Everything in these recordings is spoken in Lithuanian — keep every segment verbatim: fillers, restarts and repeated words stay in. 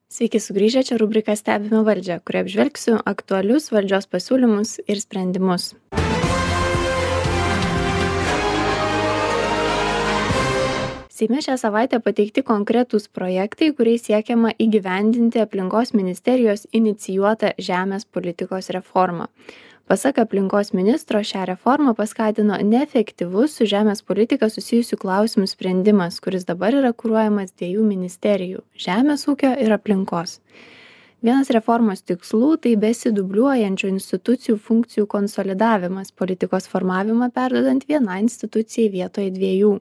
Sveiki sugrįžę, čia rubrika Stebime valdžią, kurioje apžvelgsiu aktualius valdžios pasiūlymus ir sprendimus. Seime šią savaitę pateikti konkretūs projektai, kuriais siekiama įgyvendinti aplinkos ministerijos inicijuotą žemės politikos reformą. Pasak aplinkos ministro, šią reformą paskatino neefektyvus su žemės politika susijusių klausimų sprendimas, kuris dabar yra kuruojamas dviejų ministerijų - žemės ūkio ir aplinkos. Vienas reformos tikslų - tai besidubliuojančių institucijų funkcijų konsolidavimas, politikos formavimą perdodant vienai institucijai vietoje dviejų.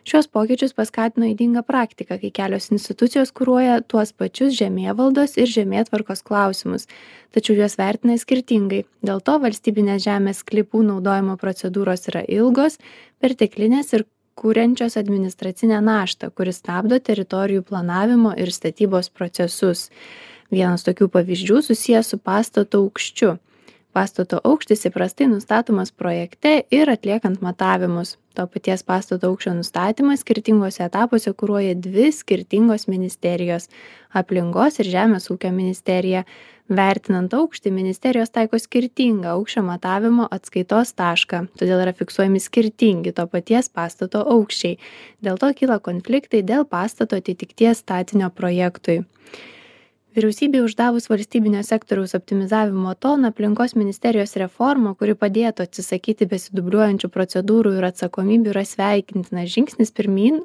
Šios pokyčius paskatino ydinga praktika, kai kelios institucijos kuruoja tuos pačius žemėvaldos ir žemėtvarkos klausimus, tačiau juos vertina skirtingai. Dėl to valstybinės žemės sklypų naudojimo procedūros yra ilgos, perteklinės ir kuriančios administracinę naštą, kuris stabdo teritorijų planavimo ir statybos procesus. Vienas tokių pavyzdžių susijęs su pastato aukščiu. Pastato aukštis įprastai nustatomas projekte ir atliekant matavimus. To paties pastato aukščio nustatymą skirtingose etapuose kuruoja dvi skirtingos ministerijos - aplinkos ir žemės ūkio ministerija. Vertinant aukštį, ministerijos taiko skirtingą aukščio matavimo atskaitos tašką, todėl yra fiksuojami skirtingi to paties pastato aukščiai. Dėl to kyla konfliktai dėl pastato atitikties statinio projektui. Vyriausybei uždavus valstybinio sektoriaus optimizavimo toną, aplinkos ministerijos reforma, kuri padėtų atsisakyti besidubliuojančių procedūrų ir atsakomybių, yra sveikintinas žingsnis pirmyn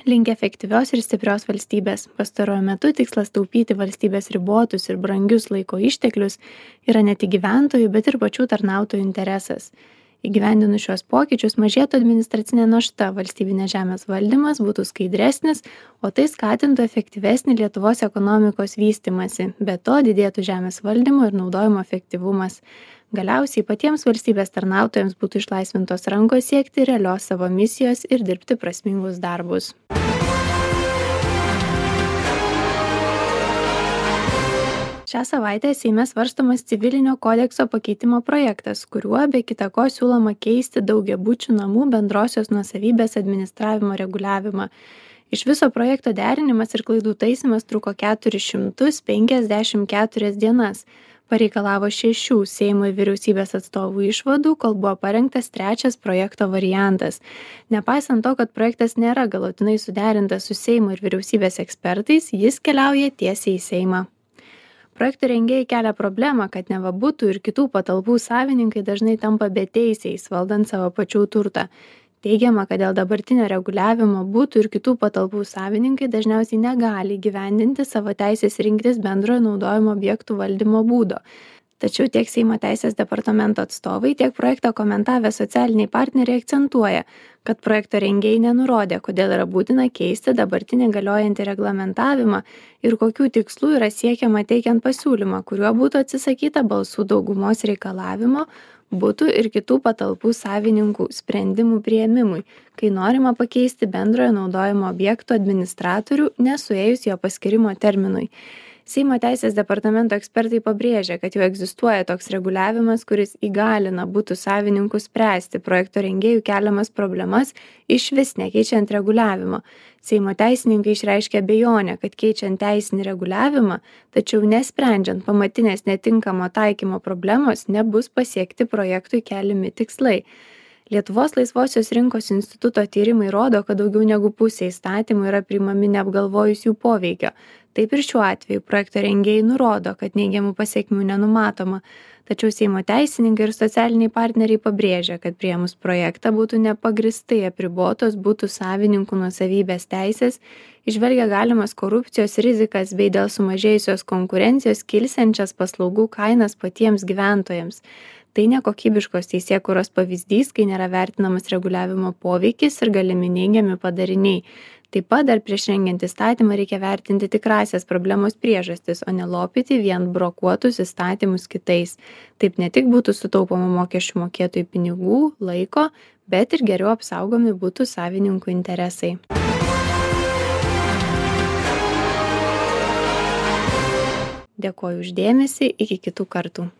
link efektyvios ir stiprios valstybės. Pastaruoju metu tikslas taupyti valstybės ribotus ir brangius laiko išteklius yra ne tik gyventojų, bet ir pačių tarnautojų interesas. Įgyvendinus šios pokyčius mažėtų administracinė našta, valstybinės žemės valdymas būtų skaidresnis, o tai skatintų efektyvesnį Lietuvos ekonomikos vystymąsi, be to didėtų žemės valdymo ir naudojimo efektyvumas. Galiausiai patiems valstybės tarnautojams būtų išlaisvintos rankos siekti realios savo misijos ir dirbti prasmingus darbus. Šią savaitę Seime svarstomas civilinio kodekso pakeitimo projektas, kuriuo be kita ko siūloma keisti daugiabučių namų bendrosios nuosavybės administravimo reguliavimą. Iš viso projekto derinimas ir klaidų taisymas truko keturis šimtus penkiasdešimt keturias dienas. Pareikalavo šešių Seimo ir vyriausybės atstovų išvadų, kol buvo parengtas trečias projekto variantas. Nepaisant to, kad projektas nėra galutinai suderintas su Seimo ir vyriausybės ekspertais, jis keliauja tiesiai į Seimą. Projektų rengėjai kelia problemą, kad neva butų ir kitų patalpų savininkai dažnai tampa beteisiais, valdant savo pačių turtą. Teigiama, kad dėl dabartinio reguliavimo butų ir kitų patalpų savininkai dažniausiai negali įgyvendinti savo teisės rinktis bendrojo naudojimo objektų valdymo būdo. Tačiau tiek Seimo teisės departamento atstovai, tiek projektą komentavę socialiniai partneriai akcentuoja, kad projekto rengėjai nenurodė, kodėl yra būtina keisti dabartinį galiojantį reglamentavimą ir kokių tikslų yra siekiama teikiant pasiūlymą, kuriuo būtų atsisakyta balsų daugumos reikalavimo butų ir kitų patalpų savininkų sprendimų priėmimui, kai norima pakeisti bendrojo naudojimo objektų administratorių nesuėjus jo paskirimo terminui. Seimo teisės departamento ekspertai pabrėžia, kad jau egzistuoja toks reguliavimas, kuris įgalina butų savininkus spręsti projekto rengėjų keliamas problemas išvis nekeičiant reguliavimo. Seimo teisininkai išreiškia abejonę, kad keičiant teisinį reguliavimą, tačiau nesprendžiant pamatinės netinkamo taikymo problemos, nebus pasiekti projektui keliami tikslai. Lietuvos laisvosios rinkos instituto tyrimai rodo, kad daugiau negu pusė įstatymų yra priimami neapgalvojus jų poveikio. Taip ir šiuo atveju projekto rengėjai nurodo, kad neigiamų pasekmių nenumatoma. Tačiau Seimo teisininkai ir socialiniai partneriai pabrėžia, kad priėmus projektą būtų nepagristai apribotos butų savininkų nuosavybės teisės, įžvelgia galimas korupcijos rizikas bei dėl sumažėjusios konkurencijos kilsiančias paslaugų kainas patiems gyventojams. Tai nekokybiškos teisėkūros pavyzdys, kai nėra vertinamas reguliavimo poveikis ir galimi neigiami padariniai. Taip pat dar prieš rengiant įstatymą reikia vertinti tikrasias problemos priežastis, o ne lopyti vien brokuotus įstatymus kitais. Taip ne tik būtų sutaupoma mokesčių mokėtojų pinigų, laiko, bet ir geriau apsaugomi butų savininkų interesai. Dėkoju už dėmesį, iki kitų kartų.